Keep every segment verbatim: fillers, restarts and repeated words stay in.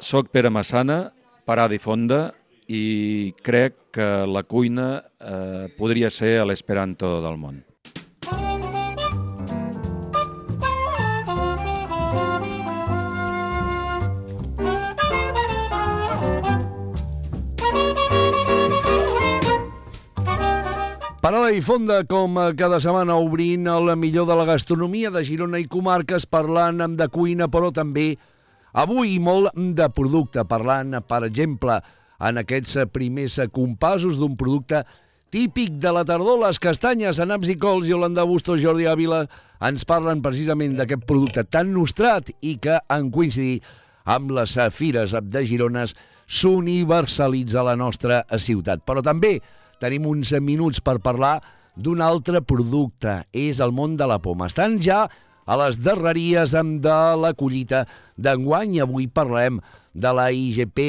Soc Pere Massana, Parada i Fonda, i crec que la cuina eh, podria ser l'esperanto del món. Parada i Fonda, com cada setmana, obrint el millor de la gastronomia de Girona i comarques, parlant de cuina, però també avui molt de producte, parlant, per exemple, en aquests primers compassos d'un producte típic de la tardor, les castanyes, naps i cols. Iolanda Bustos, Jordi Ávila ens parlen precisament d'aquest producte tan nostrat i que, en coincidir amb les fires de Girona, s'universalitza a la nostra ciutat. Però també tenim uns minuts per parlar d'un altre producte, és el món de la poma. Estan ja a les darreries de la collita d'enguany i avui parlem de la I G P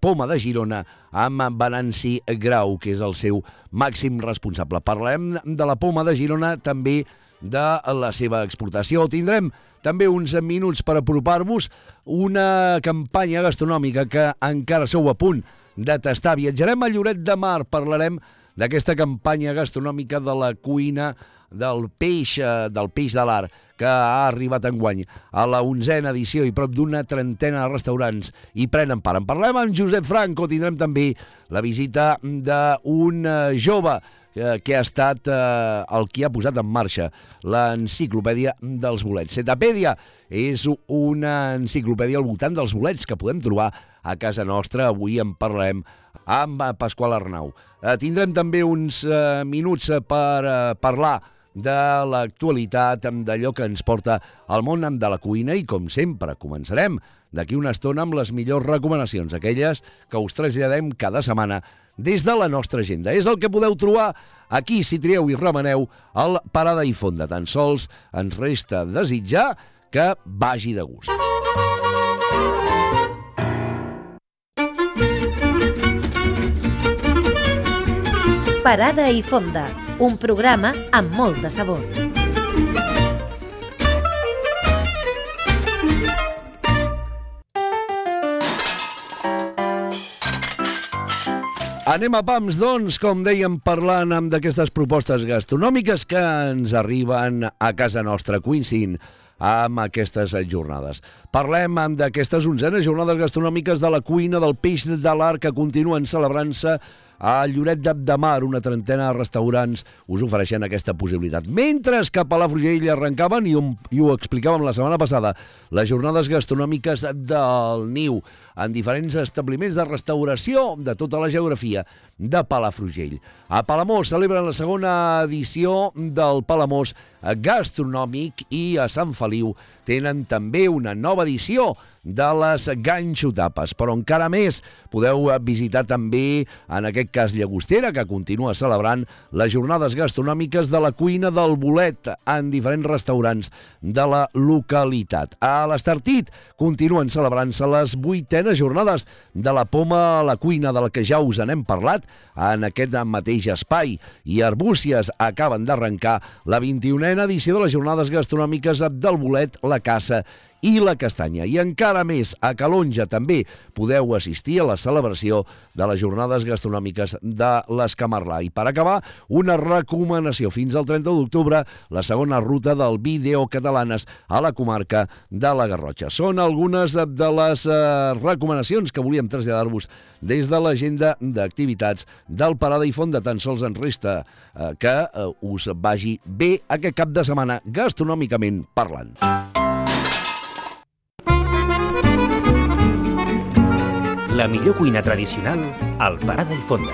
Poma de Girona amb Venanci Grau, que és el seu màxim responsable. Parlem de la poma de Girona, també de la seva exportació. Tindrem també uns minuts per apropar-vos una campanya gastronòmica que encara sou a punt de tastar. Viatjarem a Lloret de Mar, parlarem d'aquesta campanya gastronòmica de la cuina del peix, del peix de l'art, que ha arribat enguany a la onzena edició i prop d'una trentena de restaurants hi prenen part. En parlem amb Josep Franco, tindrem també la visita d'un jove que ha estat eh, el qui ha posat en marxa l'enciclopèdia dels bolets. Setapèdia és una enciclopèdia al voltant dels bolets que podem trobar a casa nostra. Avui en parlem amb Pasqual Arnau. Eh, tindrem també uns eh, minuts per eh, parlar de l'actualitat, d'allò que ens porta al món de la cuina i, com sempre, començarem d'aquí una estona amb les millors recomanacions, aquelles que us traslladem cada setmana des de la nostra agenda. És el que podeu trobar aquí, si trieu i remeneu, al Parada i Fonda. Tan sols ens resta desitjar que vagi de gust. Parada i Fonda, un programa amb molt de sabor. Anem a pams, doncs, com dèiem, parlant amb d'aquestes propostes gastronòmiques que ens arriben a casa nostra, coincidint amb aquestes jornades. Parlem amb d'aquestes onzenes jornades gastronòmiques de la cuina del peix de l'art que continuen celebrant-se a Lloret de Mar. Una trentena de restaurants us ofereixen aquesta possibilitat. Mentre que a Palafrugell arrencaven, i, un, i ho explicàvem la setmana passada, les jornades gastronòmiques del Niu, en diferents establiments de restauració de tota la geografia de Palafrugell. A Palamós celebren la segona edició del Palamós gastronòmic i a Sant Feliu tenen també una nova edició de les ganxotapes, però encara més podeu visitar també, en aquest cas Llagostera, que continua celebrant les jornades gastronòmiques de la cuina del bolet en diferents restaurants de la localitat. A l'Estartit continuen celebrant-se les vuitenes jornades de la poma a la cuina, de la que ja us n'hem parlat en aquest mateix espai, i Arbúcies acaben d'arrencar la vint-i-unena edició de les jornades gastronòmiques del bolet, la caça i la castanya. I encara més, a Calonja també podeu assistir a la celebració de les jornades gastronòmiques de l'Escamarlà. I per acabar, una recomanació. Fins al trenta d'octubre, la segona ruta del Vídeo Catalanes a la comarca de la Garrotxa. Són algunes de les eh, recomanacions que volíem traslladar-vos des de l'agenda d'activitats del Parada i Fonda. Tan sols ens resta eh, que eh, us vagi bé aquest cap de setmana gastronòmicament parlant. La millor cuina tradicional al Parada i Fonda.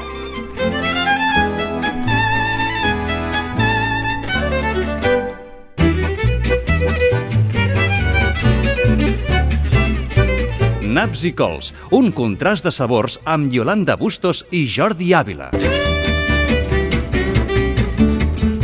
Naps i cols, un contrast de sabors amb Iolanda Bustos i Jordi Ávila.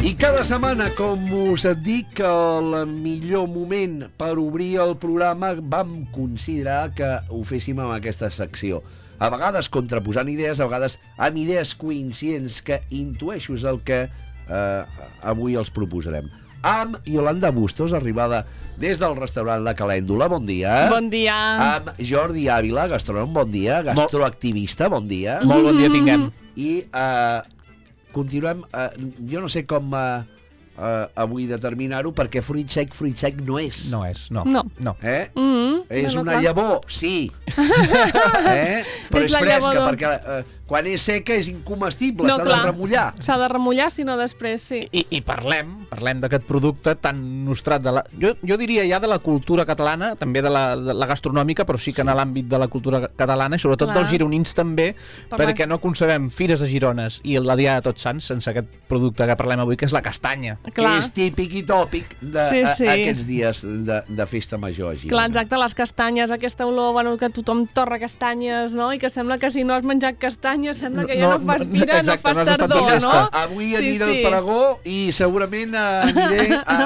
I cada setmana, com us dic, el millor moment per obrir el programa vam considerar que ho féssim amb aquesta secció. A vegades contraposant idees, a vegades amb idees coincidents que intueixo és el que eh, avui els proposarem. amb Yolanda Bustos, arribada des del restaurant La Calèndula, bon dia. Bon dia. Amb Jordi Ávila, gastrònom, bon dia. Gastroactivista, bon dia. Molt bon dia tinguem. I uh, continuem, uh, jo no sé com uh, uh, avui determinar-ho, perquè fruit sec, fruit sec no és. No és, no. No. no. Eh? Mm-hmm. És no, no, una clar. llavor, sí. eh? Però És és, la fresca, llavor. perquè uh, quan és seca és incomestible, No, s'ha clar. de remullar. S'ha de remullar, si no després sí. I, i parlem, parlem d'aquest producte tan nostrat de la... Jo, jo diria ja de la cultura catalana, també de la, de la gastronòmica, però sí que en l'àmbit de la cultura catalana, i sobretot Clar. dels gironins també, Per perquè la- no concebem Fires de Girones i la Diada de Tots Sants sense aquest producte que parlem avui, que és la castanya. Que Clar. és típic i tòpic de, Sí, a, sí. aquests dies de, de festa major a Girona. Clar, exacte, les castanyes, aquesta olor, bueno, que tothom torra castanyes, no? I que sembla que si no has menjat castanyes sembla que ja no, No, fas no, fira, exacte, no fas no has estat de tardor, festa. no? Avui Sí, aniré sí. al Paragó i segurament eh, aniré a,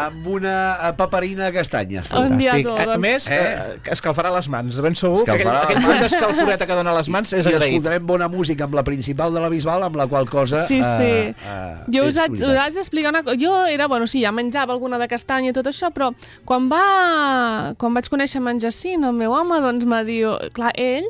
amb una a paperina de castanyes. Un dia Fantàstic. tu, A doncs. més, Eh? eh? escalfarà les mans. De ben segur que aquell, Escalfarà aquell les punt mans. d'escalforeta que dona a les mans és I agraït. escoltarem bona música amb la principal de la Bisbal, amb la qual cosa... Sí, sí. Eh, eh, Jo és us haig, us veritat. haig d'explicar una cosa. Jo era, bueno, sí, ja menjava alguna de castanya i tot això, però quan, va, quan vaig conèixer en Jacint, el meu home, doncs m'ha dit, clar, ell,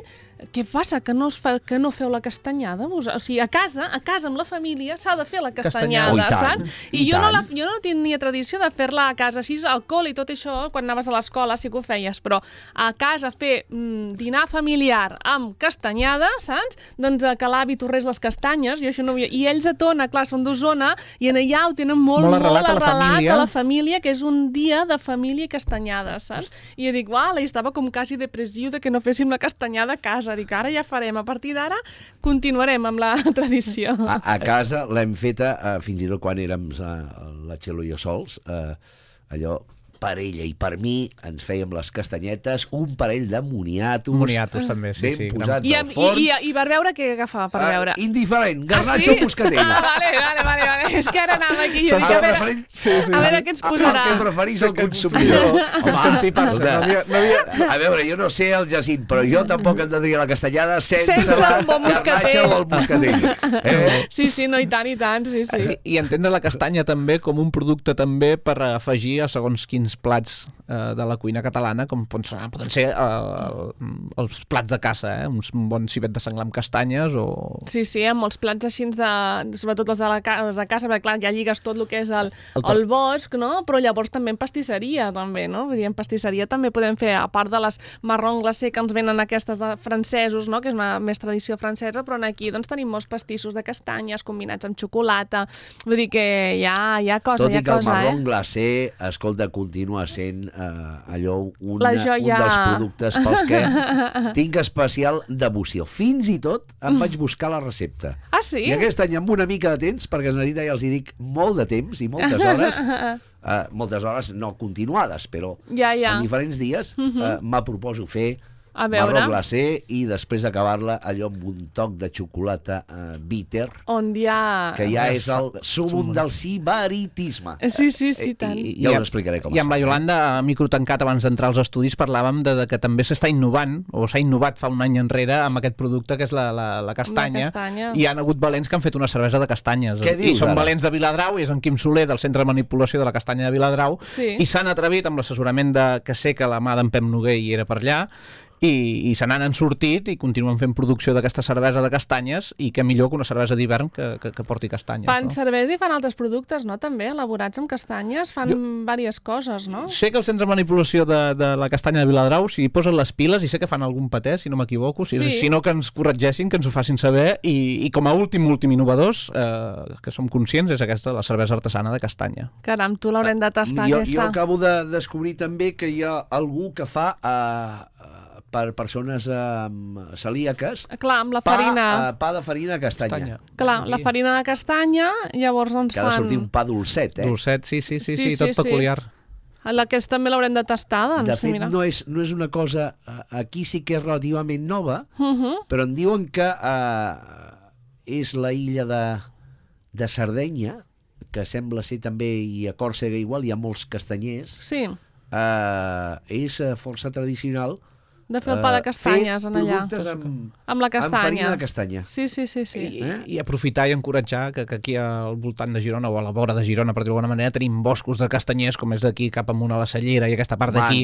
què passa, que no, es fa, que no feu la castanyada? Vos? O sigui, a casa, a casa amb la família s'ha de fer la castanyada, Castanyada. Oh, i tant, saps? i I, jo, no tant. la, jo no tenia tradició de fer-la a casa, així alcohol i tot això, quan anaves a l'escola sí que ho feies, però a casa fer mm, dinar familiar amb castanyada, saps? Doncs eh, que l'avi torrés les castanyes, jo això no ho havia... I ells a Tona, clar, són d'Osona, i en allà ho tenen molt, Molt molt arrelat a la família. a la família, que és un dia de família i castanyada, saps? I jo dic, uala, i estava com quasi depressiu de que no féssim la castanyada a casa. Dic, ara ja farem, a partir d'ara continuarem amb la tradició. A, a casa l'hem feta, eh, fins i tot quan érem a, la Txelo i jo sols, eh, allò per ella i per mi ens fèiem les castanyetes, un parell de moniatos, Moniatos també, sí, ben sí. posats I, al i, forn. i, I per veure què agafava, per veure. Eh, indiferent, garnatxo Ah, o moscatell. Ah, vale, vale, vale, vale. És que ara anava aquí. Jo S'està dic, a veure, referint- Sí, sí. a veure què ens posarà. El que preferís el consumidor. Sense antipar-se. No havia, no havia... A veure, jo no sé el Jacint, però jo tampoc entendria la castanyada sense, Sense la un bon moscatell. garnatxa o el moscatell. Eh? Sí, sí, no, i tant, i tant, sí, sí. I, I entendre la castanya també com un producte també per afegir a segons quins plats eh, de la cuina catalana, com poden ser, poden ser eh, els plats de caça, eh? Un bon civet de senglar amb castanyes o... Sí, sí, amb molts plats així de... sobretot els de, la, ca- els de casa, perquè clar, ja lligues tot el que és el, El el, to- bosc, no? Però llavors també en pastisseria, també, no? Vull dir, en pastisseria també podem fer, a part de les marrons glacé que ens venen aquestes de francesos, no? Que és una més tradició francesa, però aquí doncs tenim molts pastissos de castanyes combinats amb xocolata. Vull dir que hi ha, hi ha cosa, Tot hi i ha que el cosa, marron eh? glacé, escolta, continua sent eh, allò una, La un joia. dels productes pels que tinc especial devoció. Fins i tot em vaig buscar la recepta. Ah, sí? I aquest any amb una mica de temps, perquè en realitat ja els hi dic molt de temps i moltes hores, eh, moltes hores no continuades, però Ja, ja. en diferents dies eh, me proposo fer A veure. marró glacé i després acabar-la allò amb un toc de xocolata eh, bitter, On hi ha... que ja és el súmum del sibaritisme. Sí, sí, sí, tant. I, Ja us amb- explicaré com I es amb fa. la Yolanda, a micro tancat, abans d'entrar als estudis, parlàvem de, de que també s'està innovant, o s'ha innovat fa un any enrere, amb aquest producte que és la, la, la castanya. La castanya. I hi ha hagut valents que han fet una cervesa de castanyes. Què I dius, són ara? valents de Viladrau, i és en Quim Soler, del Centre de Manipulació de la Castanya de Viladrau, Sí. i s'han atrevit amb l'assessorament de que sé que la mà d'en Pep Noguer hi era per allà, i, i se n'han sortit i continuen fent producció d'aquesta cervesa de castanyes, i què millor que una cervesa d'hivern que, que, que porti castanyes. Fan no? cervesa i fan altres productes, no? També, elaborats amb castanyes, fan jo... diverses coses, no? Sé que el Centre de Manipulació de, de la Castanya de Viladrau s'hi posen les piles, i sé que fan algun patè, si no m'equivoco, si, Sí. si no que ens corregeixin, que ens ho facin saber, i, i com a últim, últim innovadors, eh, que som conscients, és aquesta, la cervesa artesana de castanya. Caram, tu l'haurem de tastar, jo, aquesta. jo acabo de descobrir també que hi ha algú que fa eh, per persones eh, celíaques Clar, amb la pa, farina... eh, pa de farina castanya. Clar, la farina de castanya, llavors doncs Que ha de fan... sortir un pa dolcet, eh? Dolcet, sí, sí, sí, Sí, sí, sí, tot sí. peculiar. La que també l'haurem de tastar, doncs, De fet, mira. no és, no és una cosa... eh, Aquí sí que és relativament nova, Uh -huh. però em diuen que eh, és la illa de, de Sardenya, que sembla ser també, i a Còrsega igual, hi ha molts castanyers, Sí, eh, és eh, força tradicional de fer el pa de castanyes en allà. Fer productes amb, amb la castanya. amb farina de castanya. Sí, sí, sí. sí. I, eh? I aprofitar i encoratjar que, que aquí al voltant de Girona, o a la vora de Girona, per dir-ho d'alguna manera, tenim boscos de castanyers, com és d'aquí cap amunt a la Cellera i aquesta part d'aquí.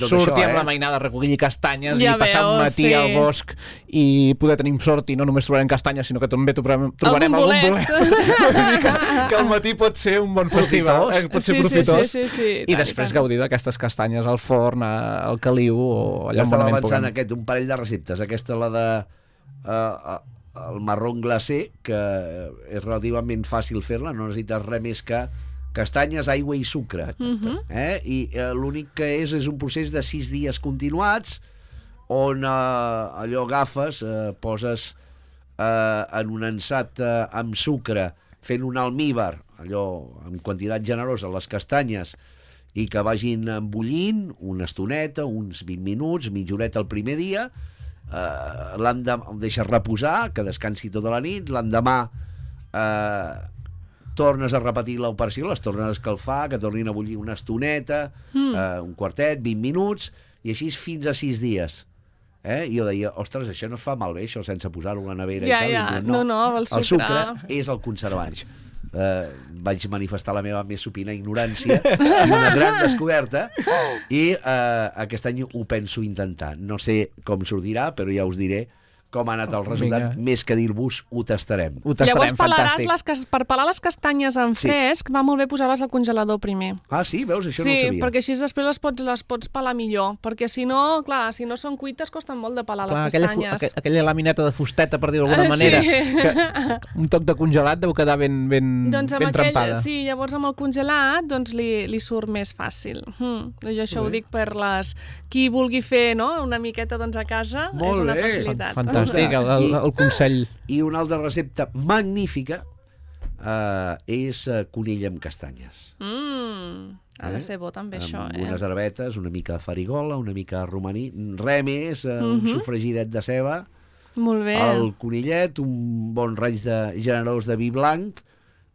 Sortir amb eh? la mainada a recollir castanyes ja i passar veu, un matí sí. al bosc i poder tenir sort i no només trobarem castanyes, sinó que també trobarem, trobarem algun bolet. que, que al matí pot ser un bon festival, eh? pot ser sí, profitós. Sí, sí, sí, sí, I després tant. Gaudir d'aquestes castanyes al forn, al caliu o allà on bonament puguem. Aquest, un parell de receptes. Aquesta, la de uh, el marrón glacé, que és relativament fàcil fer-la, no necessites res més que castanyes, aigua i sucre. Uh-huh. eh? I uh, l'únic que és és un procés de sis dies continuats on uh, allò agafes, uh, poses uh, en un ansat uh, amb sucre, fent un almíbar, allò amb quantitat generosa, les castanyes, i que vagin embullint una estoneta, uns vint minuts, mitja horeta el primer dia, eh, l'endemà el deixes reposar, que descansi tota la nit, l'endemà eh, tornes a repetir l'operació, les tornes a escalfar, que tornin a bullir una estoneta, mm. eh, un quartet, vint minuts, i així fins a sis dies. Eh? I jo deia, ostres, això no es fa malbé, això, sense posar-ho a la nevera ja, i tal. Ja. I no, no, no, el sucre. El sucre és el conservant. Uh, vaig manifestar la meva més supina ignorància i una gran descoberta i uh, aquest any ho penso intentar. No sé com sortirà, però ja us diré com ha anat el resultat. Vinga. Més que dir-vos, ho tastarem. Ho tastarem, llavors, les cas... per pelar les castanyes en sí. fresc, va molt bé posar-les al congelador primer. Ah, sí? Veus? Això sí, no ho sabia. Sí, perquè així després les pots, les pots pelar millor. Perquè si no, clar, si no són cuites, costen molt de pelar clar, les castanyes. Aquella, aquella lamineta de fusteta, per dir-ho d'alguna uh, manera, sí. que un toc de congelat deu quedar ben, ben, doncs ben aquell, trempada. Sí, llavors amb el congelat doncs li, li surt més fàcil. Hmm. Jo això sí. ho dic per les... Qui vulgui fer no? una miqueta doncs, a casa, molt és una bé. facilitat. Fantàstic, el, el, el consell. I una altra recepta magnífica uh, és uh, conill amb castanyes. Mm, ha de ser bo també amb això. Amb eh? unes herbetes, una mica de farigola, una mica de romaní, res més, uh, uh-huh. un sofregidet de ceba, molt bé. El conillet, un bon raig de, generós de vi blanc,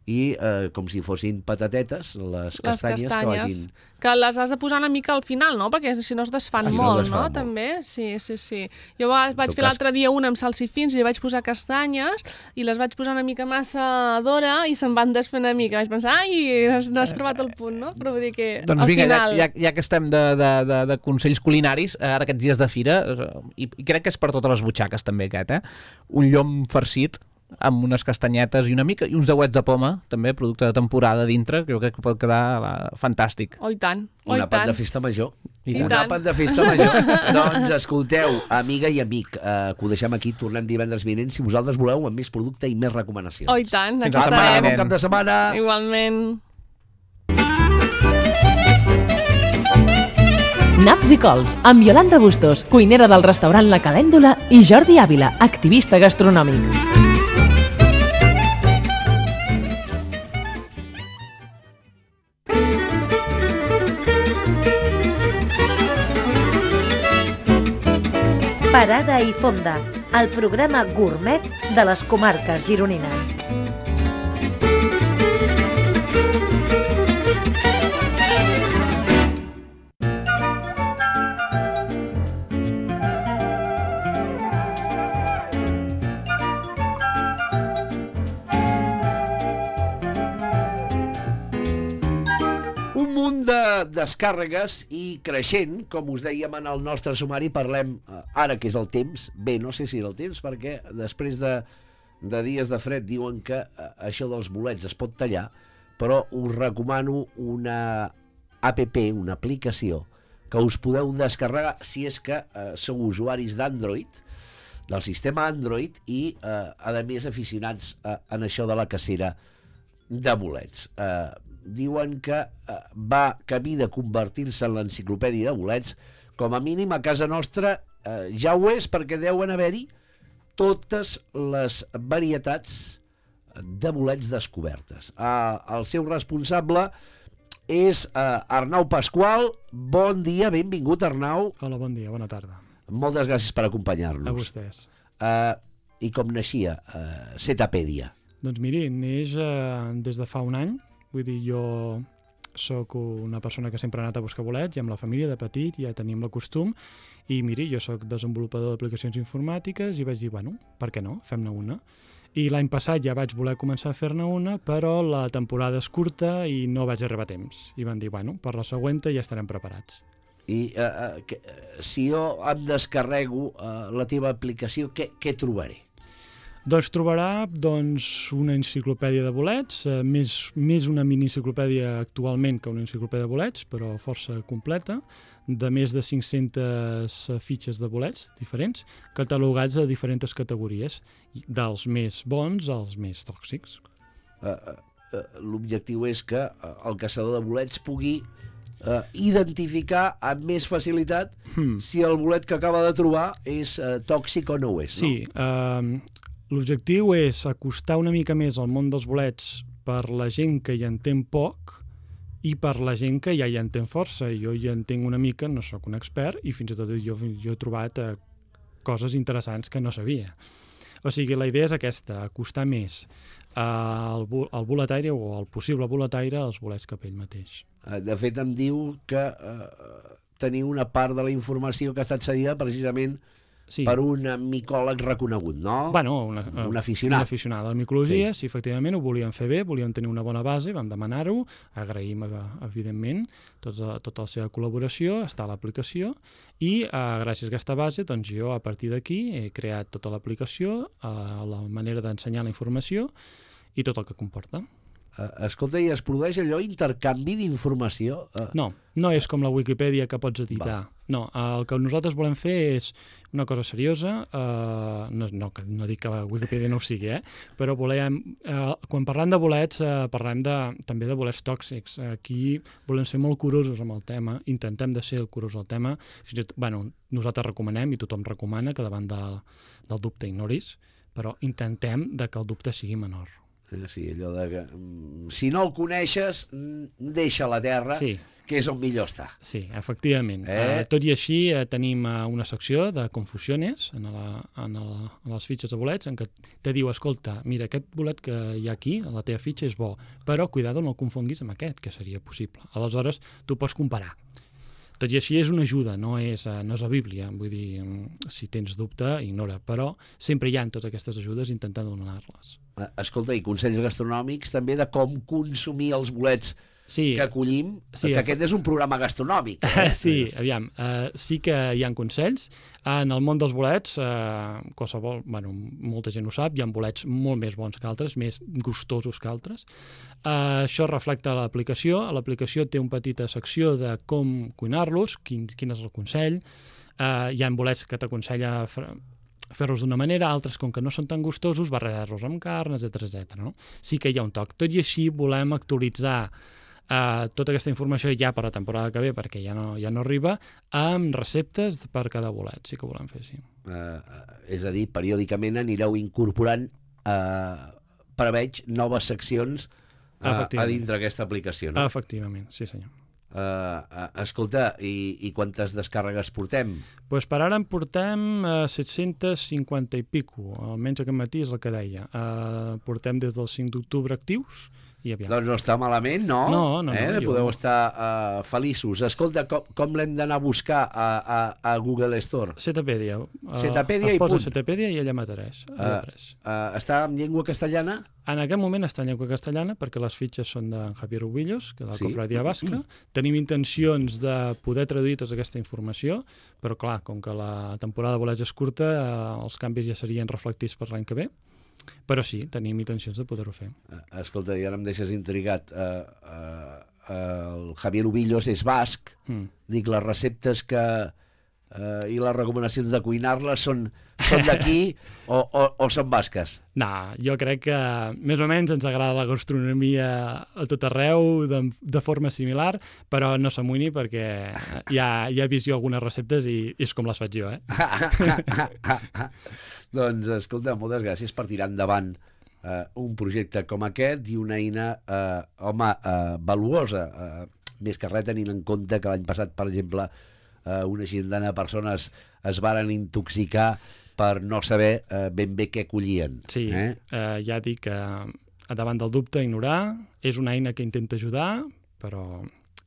i eh, com si fossin patatetes, les castanyes, les castanyes que vagin... Que les has de posar una mica al final, no? Perquè si no es desfan ah, molt, no, desfan no? molt. També? Sí, sí, sí. Jo va, vaig fer l'altre dia una amb salsifins i li vaig posar castanyes i les vaig posar una mica massa d'hora i se'n van desfer una mica. Vaig pensar, ai, no has trobat el punt, no? Però vull dir que doncs al vinga, final... Ja, ja que estem de, de, de, de consells culinaris, ara aquests dies de fira, i, i crec que és per totes les butxaques també aquest, eh? Un llom farcit, amb unes castanyetes i una mica, i uns dauets de poma, també, producte de temporada dintre, crec que pot quedar la, fantàstic. Oh, i tant. Un àpat de festa major. I un àpat de festa major. Doncs escolteu, amiga i amic, eh, que ho deixem aquí, tornem divendres vinent, si vosaltres voleu, amb més producte i més recomanacions. Oh, i tant. Fins la setmana, bon cap de setmana. Igualment. Naps i cols, amb Iolanda Bustos, cuinera del restaurant La Calèndula, i Jordi Ávila, activista gastronòmic. Parada i Fonda, el programa gourmet de les comarques gironines. De descàrregues i creixent, com us dèiem en el nostre sumari, parlem ara que és el temps, bé, no sé si és el temps, perquè després de, de dies de fred diuen que això dels bolets es pot tallar, però us recomano una app, una aplicació, que us podeu descarregar si és que eh, sou usuaris d'Android, del sistema Android, i eh, a més aficionats eh, en això de la cacera de bolets. Eh, diuen que eh, va camí de convertir-se en l'enciclopèdia de bolets. Com a mínim a casa nostra eh, ja ho és, perquè deuen haver-hi totes les varietats de bolets descobertes. Eh, el seu responsable és eh, Arnau Pasqual. Bon dia, benvingut, Arnau. Hola, bon dia, bona tarda. Moltes gràcies per acompanyar-nos. A vostès. Eh, I com naixia eh, Setapèdia? Doncs miri, neix eh, des de fa un any. Vull dir, jo soc una persona que sempre ha anat a buscar bolets i amb la família de petit ja teníem el costum i miri, jo sóc desenvolupador d'aplicacions informàtiques i vaig dir, bueno, per què no? Fem-ne una. I l'any passat ja vaig voler començar a fer-ne una, però la temporada és curta i no vaig arribar a temps. I van dir, bueno, per la següent ja estarem preparats. I eh, eh, que, si jo em descarrego eh, la teva aplicació, què, què trobaré? Doncs trobarà doncs, una enciclopèdia de bolets, eh, més, més una mini-enciclopèdia actualment que una enciclopèdia de bolets, però força completa, de més de cinc-centes fitxes de bolets diferents, catalogats a diferents categories, dels més bons als més tòxics. Uh, uh, L'objectiu és que el caçador de bolets pugui uh, identificar amb més facilitat hmm. si el bolet que acaba de trobar és uh, tòxic o no ho és. Sí, no? uh, l'objectiu és acostar una mica més al món dels bolets per la gent que hi entén poc i per la gent que ja hi entén força. Jo hi entenc una mica, no sóc un expert, i fins i tot jo, jo he trobat eh, coses interessants que no sabia. O sigui, la idea és aquesta, acostar més eh, el, el boletaire o el possible boletaire als bolets cap ell mateix. De fet, em diu que eh, teniu una part de la informació que ha estat cedida precisament sí. per un micòleg reconegut, no? Bueno, una, un aficionat. Un aficionat a la micologia, sí. sí, efectivament, ho volíem fer bé, volíem tenir una bona base, vam demanar-ho, agraïm, evidentment, tota, tota la seva col·laboració, està a l'aplicació, i eh, gràcies a aquesta base, doncs jo, a partir d'aquí, he creat tota l'aplicació, eh, la manera d'ensenyar la informació i tot el que comporta. Uh, escolta, i es produeix allò intercanvi d'informació? Uh... No, no és com la Wikipedia que pots editar. Va. No, el que nosaltres volem fer és una cosa seriosa, uh, no, no, no dic que la Wikipedia no ho sigui, eh? Però volem, uh, quan parlem de bolets, uh, parlem de, també de bolets tòxics. Aquí volem ser molt curosos amb el tema, intentem de ser curosos al tema. Fins i tot, bueno, nosaltres recomanem, i tothom recomana, que davant de, del dubte ignoris, però intentem de que el dubte sigui menor. Sí, allò de que si no el coneixes, deixa la terra, sí. que és on millor està. Sí, efectivament. Eh? Uh, tot i així, uh, tenim uh, una secció de confusiones en, la, en, la, en les fitxes de bolets en què te diu, escolta, mira, aquest bolet que hi ha aquí, a la teva fitxa, és bo, però cuidado, no el confonguis amb aquest, que seria possible. Aleshores, tu pots comparar. Tot i així és una ajuda, no és, no és la Bíblia, vull dir, si tens dubte, ignora, però sempre hi ha totes aquestes ajudes intentant donar-les. Escolta, i consells gastronòmics també de com consumir els bolets sí. que acollim, sí, que aquest és un programa gastronòmic. Eh? Sí, aviam, uh, sí que hi ha consells. En el món dels bolets, uh, qualsevol, bueno, molta gent ho sap, hi ha bolets molt més bons que altres, més gustosos que altres. Uh, això reflecta l'aplicació. L'aplicació té una petita secció de com cuinar-los, quin, quin és el consell. Uh, hi ha bolets que t'aconsella fer-los d'una manera, altres, com que no són tan gustosos, barrejar-los amb carn, etcètera, etcètera. No? Sí que hi ha un toc. Tot i així volem actualitzar Uh, tota aquesta informació ja per la temporada que ve, perquè ja no, ja no arriba, amb receptes per cada bolet, sí que ho volem fer, sí. Uh, és a dir, periòdicament anireu incorporant, uh, preveig, noves seccions uh, a dintre d'aquesta aplicació, no? Efectivament, sí senyor. Uh, uh, escolta, i, i quantes descàrregues portem? Pues per ara en portem uh, set-cents cinquanta i pico, almenys aquest matí és el que deia. Uh, portem des del cinc d'octubre actius, i aviam. Doncs no està malament, no? No, no, eh? no. Podeu jo... estar uh, feliços. Escolta, com, com l'hem d'anar a buscar a, a, a Google Store? Setapèdia. Setapèdia uh, i punt. Es posa Setapèdia i ella m'apareix. Uh, uh, està en llengua castellana? En aquest moment està en llengua castellana perquè les fitxes són d'en Javier Ubillos, que de la sí? Cofradia Basca. Tenim intencions de poder traduir tota aquesta informació, però clar, com que la temporada de bolets és curta, uh, els canvis ja serien reflectits per l'any que ve. Però sí, tenim intencions de poder-ho fer. Escolta, i ara em deixes intrigat. Uh, uh, uh, el Javier Ubillos és basc. Mm. Dic, les receptes que uh, i les recomanacions de cuinar-les són, són d'aquí o, o, o són basques? No, jo crec que més o menys ens agrada la gastronomia a tot arreu, de, de forma similar, però no s'amoïni perquè ja, ja he vist jo algunes receptes i és com les faig jo, eh? Doncs, escolta, moltes gràcies per tirar endavant eh, un projecte com aquest i una eina, eh, home, eh, valuosa. Eh, més que res tenint en compte que l'any passat, per exemple, eh, una xindana de persones es varen intoxicar per no saber eh, ben bé què collien. Sí, eh? Eh, ja dic que davant del dubte, ignorar, és una eina que intenta ajudar, però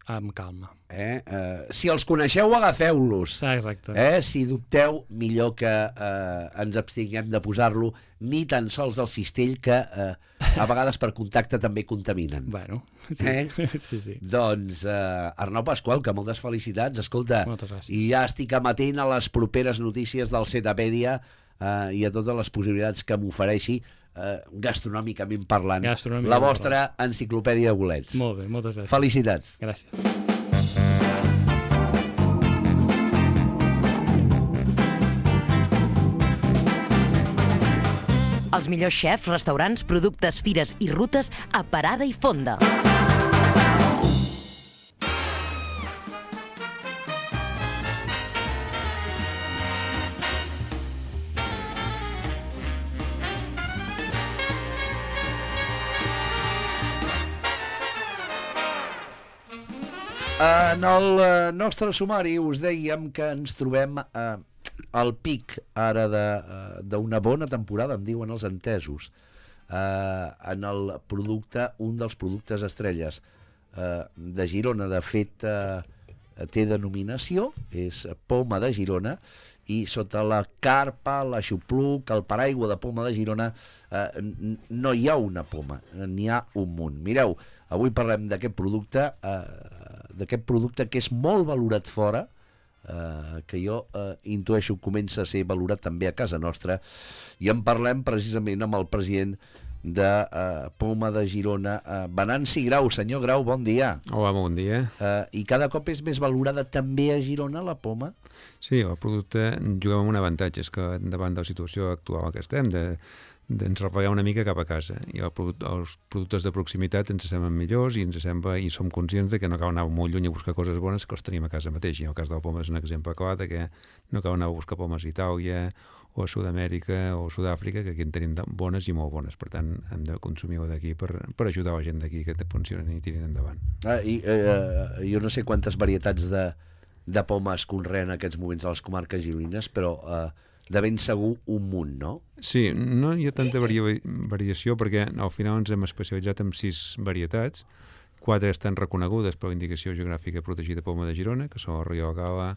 amb calma. Eh? Uh, si els coneixeu, agafeu-los. Exacte. Eh? Si dubteu, millor que uh, ens abstinguem de posar-lo ni tan sols del cistell, que uh, a vegades per contacte també contaminen. Bueno, sí. Eh? sí, sí. Doncs, uh, Arnau Pasqual, que moltes felicitats. Escolta, moltes gràcies. I ja estic amatent a les properes notícies del Setapèdia uh, i a totes les possibilitats que m'ofereixi uh, gastronòmicament parlant. Gastronòmicament la vostra parlant. Enciclopèdia de bolets. Molt bé, moltes gràcies. Felicitats. Gràcies. Els millors xefs, restaurants, productes, fires i rutes a Parada i Fonda. En el eh, nostre sumari us dèiem que ens trobem eh, al pic ara d'una bona temporada, em diuen els entesos, eh, en el producte, un dels productes estrelles eh, de Girona. De fet, eh, té denominació, és Poma de Girona, i sota la carpa, l'aixopluc, el paraigua de Poma de Girona, eh, no hi ha una poma, n'hi ha un munt. Mireu, avui parlem d'aquest producte, eh, d'aquest producte que és molt valorat fora, eh, que jo eh, intueixo comença a ser valorat també a casa nostra, i en parlem precisament amb el president de eh, Poma de Girona, eh, Venanci Grau. Senyor Grau, bon dia. Hola, bon dia. Eh, I cada cop és més valorada també a Girona la poma? Sí, el producte juguem amb un avantatge, és que davant de la situació actual que estem, de ens replegar una mica cap a casa, i el product, els productes de proximitat ens semblen millors i ens sembla, i som conscients de que no cal anar molt lluny a buscar coses bones, que els tenim a casa mateix. I el cas de la poma és un exemple clar de que no cal anar a buscar pomes a Itàlia o a Sud-amèrica o a Sud-àfrica, que aquí en tenim bones i molt bones. Per tant, hem de consumir-ho d'aquí per, per ajudar la gent d'aquí que funcionen i tirin endavant. Ah, i, eh, jo no sé quantes varietats de, de poma es conreen en aquests moments a les comarques gironines, però eh, de ben segur un munt, no? Sí, no hi ha tanta varia variació perquè al final ens hem especialitzat en sis varietats. Quatre estan reconegudes per la indicació geogràfica protegida Poma de Girona, que són el Rioja Gala,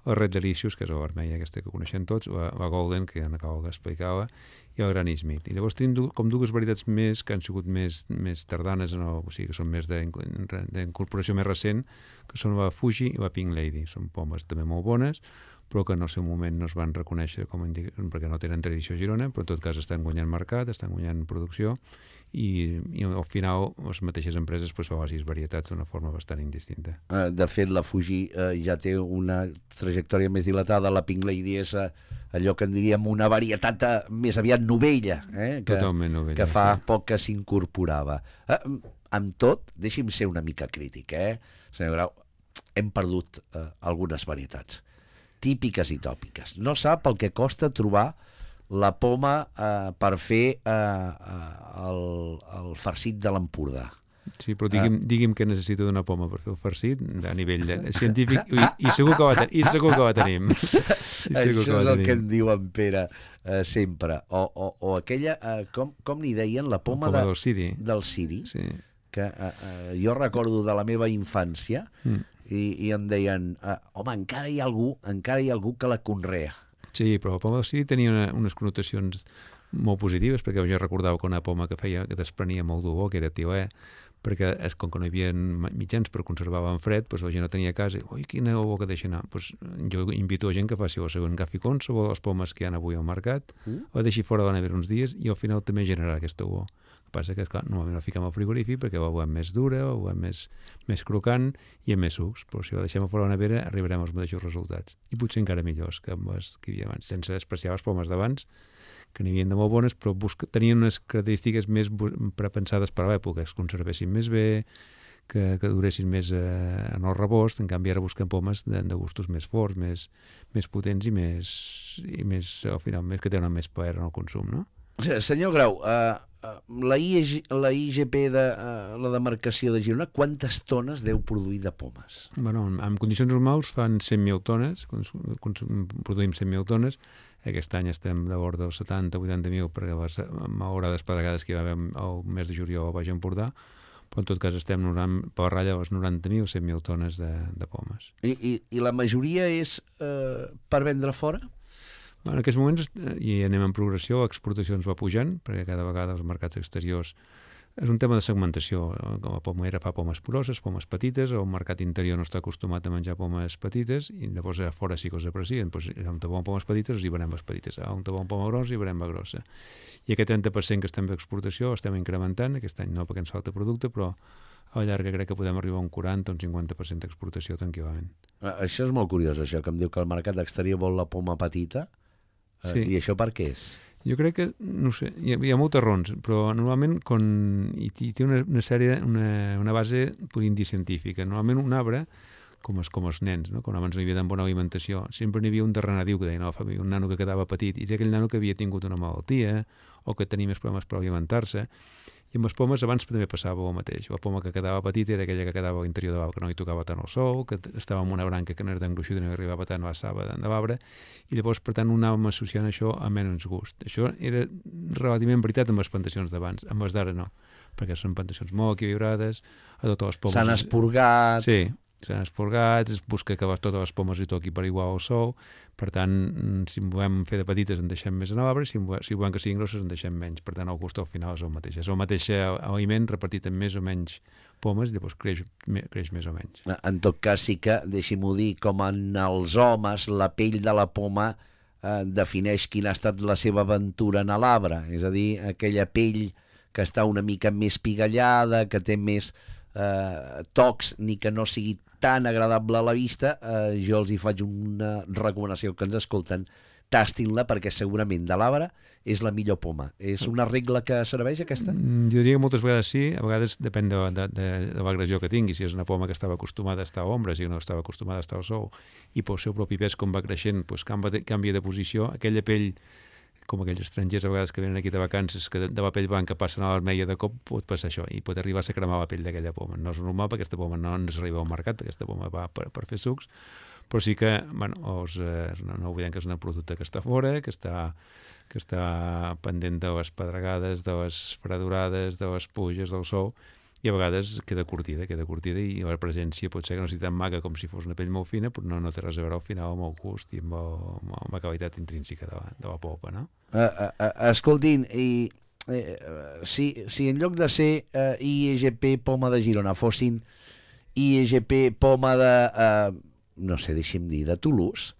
el Red Delicious, que és la vermella aquesta que coneixem tots, la, la Golden, que ja n'acabo d'explicar, i el Granny Smith. I llavors tenim com dues varietats més que han sigut més, més tardanes, en el, o sigui, que són més d'incorporació més recent, que són la Fuji i la Pink Lady. Són pomes també molt bones, però que en el seu moment no es van reconèixer com indica, perquè no tenen tradició a Girona, però en tot cas estan guanyant mercat, estan guanyant producció, i, i al final les mateixes empreses pues, fan les sis varietats d'una forma bastant indistinta. De fet, la Fuji eh, ja té una trajectòria més dilatada, la Pink Lady és eh, allò que en diríem una varietat eh, més aviat novella, eh, que, Totalment novella, que fa sí. poc que s'incorporava. Eh, amb tot, deixi'm ser una mica crític, eh? Senyor Grau, hem perdut eh, algunes varietats típiques i tòpiques. No sap el que costa trobar la poma eh, per fer eh, el, el farcit de l'Empordà. Sí, però digui'm, uh, digui'm què necessito d'una poma per fer el farcit a nivell de, científic, i, i, segur que la, i segur que la tenim. I Això és el tenim. Que en diu en Pere eh, sempre. O, o, o aquella, eh, com, com n'hi deien, la poma, poma de, del ciri. Del ciri, sí. Que eh, eh, jo recordo de la meva infància, mm. i, i em deien, eh, home, encara hi ha algú, encara hi ha algú que la conrea. Sí, però la poma del ciri tenia una, unes connotacions molt positives, perquè jo recordava que una poma que feia, que desprenia molt d'olor, que era tilè, perquè és, com que no hi havia mitjans per conservar en fred, doncs la gent no tenia casa, i, ui, quina olor que deixa anar. Doncs jo invito a gent que faci el següent gaficón sobre les pomes que hi ha avui al mercat, mm. la deixi fora de la nevera uns dies, i al final també generarà aquesta olor. El que passa que, clar, normalment la fiquem al frigorífic perquè la volem més dura, la volem més, més crocant i amb més sucs, però si la deixem a fora de la nevera arribarem als mateixos resultats. I potser encara millors que amb les que hi havia abans, sense despreciar les pomes d'abans, que n'hi havia de molt bones, però busca, tenien unes característiques més prepensades per a l'època, que es conservessin més bé, que, que duressin més eh, en el rebost. En canvi ara busquem pomes de, de gustos més forts, més, més potents i més, i més, al final, més, que tenen més plaer en el consum, no? Senyor Grau, uh, la, I G, la I G P de uh, la demarcació de Girona, quantes tones deu produir de pomes? Bueno, en, en condicions normals fan cent mil tones, consum, consum, produïm cent mil tones. Aquest any estem de bord dels setanta a vuitanta mil perquè les malauradades pedregades que hi va haver el mes de juliol al Baix Empordà, però en tot cas estem per ratlla les noranta mil o cent mil tones de, de pomes. I, i, I la majoria és eh, per vendre fora? En aquests moments i anem en progressió, l'exportació ens va pujant, perquè cada vegada els mercats exteriors és un tema de segmentació. La pomera fa pomes grosses, pomes petites, el mercat interior no està acostumat a menjar pomes petites i llavors a fora sí que els aprecien. Doncs, on te volen pomes petites, els hi venem les petites. On te volen poma grossa, hi venem la grossa. I aquest trenta per cent que estem d'exportació estem incrementant, aquest any no perquè ens falta producte, però a la llarga crec que podem arribar a un quaranta o un cinquanta per cent d'exportació tranquil·lament. Això és molt curiós, això, que em diu que el mercat exterior vol la poma petita. Sí. I això per què és? Jo crec que, no sé, hi ha, hi ha moltes raons, però normalment con, hi, hi té una, una sèrie, una, una base podríem dir científica. Normalment un arbre, com els, com els nens, no? Quan abans no hi havia tan bona alimentació, sempre n'hi havia un darrenadiu que deia, no, un nano que quedava petit, i aquell nano que havia tingut una malaltia o que tenia més problemes per alimentar-se. I amb les pomes abans també passava el mateix. La poma que quedava petita era aquella que quedava a l'interior de l'arbre, que no hi tocava tant el sol, que estava en una branca que no era tan gruixuda i no arribava tant a la saba de l'arbre, i llavors, per tant, anàvem associant això a menys gust. Això era relativament veritat amb les plantacions d'abans, amb les d'ara no, perquè són plantacions molt equilibrades, a totes les pomes... S'han esporgat... Sí, s'han esporgat, es busca que totes les pomes hi toqui per igual al sol, per tant, si volem fer de petites en deixem més en l'arbre, si, si volem que siguin grosses en deixem menys, per tant el gust al final és el mateix, és el mateix aliment repartit en més o menys pomes i llavors creix, creix més o menys. En tot cas sí que, deixi-m'ho dir, com en els homes, la pell de la poma eh, defineix quina ha estat la seva aventura en l'arbre, és a dir, aquella pell que està una mica més pigallada, que té més eh, tocs, ni que no sigui tan agradable a la vista, eh, jo els hi faig una recomanació que ens escolten, tastin-la perquè segurament de l'arbre és la millor poma. És una regla que serveix aquesta? Jo diria que moltes vegades sí, a vegades depèn de, de, de, de l'agressió que tingui, si és una poma que estava acostumada a estar a ombra, si no estava acostumada a estar al sol, i pel seu propi pes com va creixent doncs canvia, de, canvia de posició, aquella pell com aquells estrangers a vegades que venen aquí de vacances, que de, de la pell blanca passen a la vermella de cop, pot passar això, i pot arribar a ser cremar la pell d'aquella poma. No és normal perquè aquesta poma no ens arriba al mercat, perquè aquesta poma va per, per fer sucs, però sí que, bueno, os, eh, no, no oblidem que és un producte que està fora, que està, que està pendent de les pedregades, de les fredurades, de les pluges, del sol, i a vegades queda curtida, queda curtida i la presència pot ser que no sigui tan maca com si fos una pell molt fina, però no, no té res a veure al final amb el gust i amb, el, amb la qualitat intrínseca de la, de la polpa, no? Uh, uh, uh, escoltin, i, uh, si, si en lloc de ser uh, I E G P Poma de Girona fossin I E G P Poma de, uh, no sé, deixi'm dir, de Toulouse,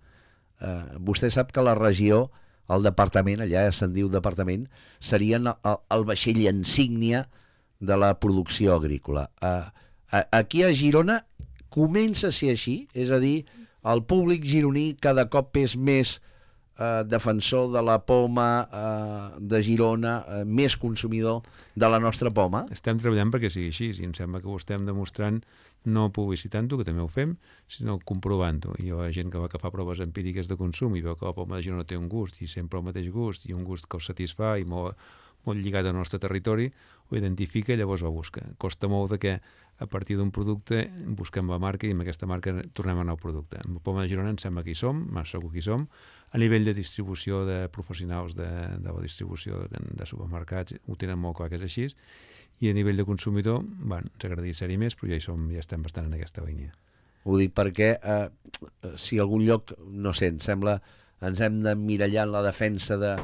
uh, vostè sap que la regió, el departament, allà se'n diu departament, serien el, el vaixell insígnia de la producció agrícola. Uh, aquí a Girona comença a ser així, és a dir, el públic gironí cada cop és més uh, defensor de la poma uh, de Girona, uh, més consumidor de la nostra poma. Estem treballant perquè sigui així, i em sembla que ho estem demostrant no publicitant-ho, que també ho fem, sinó comprovant-ho. I la gent que va que fa proves empíriques de consum i veu que la poma de Girona té un gust, i sempre el mateix gust, i un gust que els satisfà i molt, molt lligat al nostre territori, ho identifica i llavors ho busca. Costa molt de que a partir d'un producte busquem la marca i amb aquesta marca tornem a anar al producte. Amb la poma de Girona em sembla que hi som, segur que hi som. A nivell de distribució de professionals de, de la distribució de, de supermercats ho tenen molt clar que és així, i a nivell de consumidor, bueno, ens agradaria ser-hi més, però ja hi som, ja estem bastant en aquesta línia. Ho dic perquè eh, si algun lloc, no sé, em sembla, ens hem de mirallar en la defensa de